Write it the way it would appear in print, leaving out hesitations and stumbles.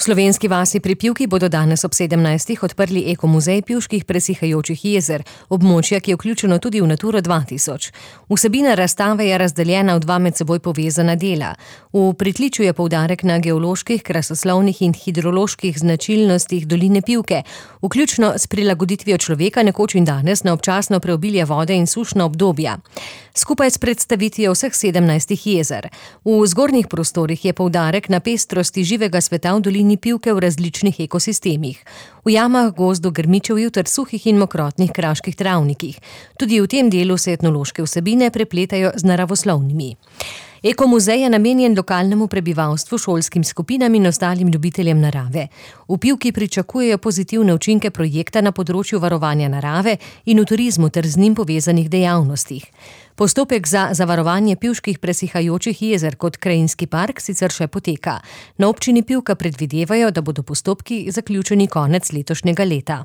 slovenski vasi pri Pivki bodo danes ob 17. odprli ekomuzej pivških presihajočih jezer, območja, ki je vključeno tudi v Naturo 2000. Vsebina razstave je razdeljena v dva med seboj povezana dela. V pritličju je poudarek na geoloških, krasoslovnih in hidroloških značilnostih doline Pivke, vključno s prilagoditvijo človeka nekoč in danes na občasno preobilje vode in sušna obdobja. Skupaj s predstavitvijo vseh 17 jezer. V zgornjih prostorih je poudarek na pestrosti živega sveta v dolini Pivke v različnih ekosistemih. V jamah, gozdu, grmičevju ter suhih in mokrotnih kraških travnikih. Tudi v tem delu se etnološke vsebine prepletajo z naravoslovnimi. Ekomuzej je namenjen lokalnemu prebivalstvu, šolskim skupinam in ostalim ljubiteljem narave. V Pivki pričakujejo pozitivne učinke projekta na področju varovanja narave in v turizmu ter z njim povezanih dejavnostih. Postopek za zavarovanje pivških presihajočih jezer kot krajinski park sicer še poteka. Na občini Pivka predvidevajo, da bodo postopki zaključeni konec letošnjega leta.